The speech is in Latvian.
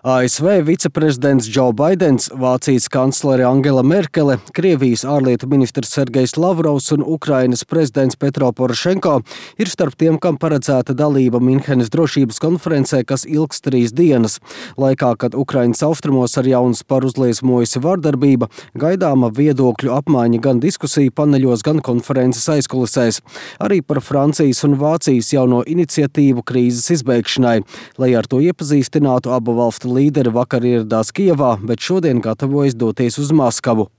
ASV viceprezidents Džo Baidens, Vācijas kanclere Angela Merkele, Krievijas ārlietu ministrs Sergejs Lavrovs un Ukrainas prezidents Petro Porošenko ir starp tiem, kam paredzēta dalība Minhenes drošības konferencē, kas ilgs 3 dienas. Laikā, kad Ukrainas austrumos ar jaunu sparu uzliesmojusi vardarbība, gaidāma viedokļu apmaiņa gan diskusiju paneļos, gan konferences aizkulisēs. Arī par Francijas un Vācijas jauno iniciatīvu krīzes izbeigšanai. Lai ar to iepazīstinātu, abu valstu līderi vakar ieradās Kijevā, bet šodien gatavojas doties uz Maskavu.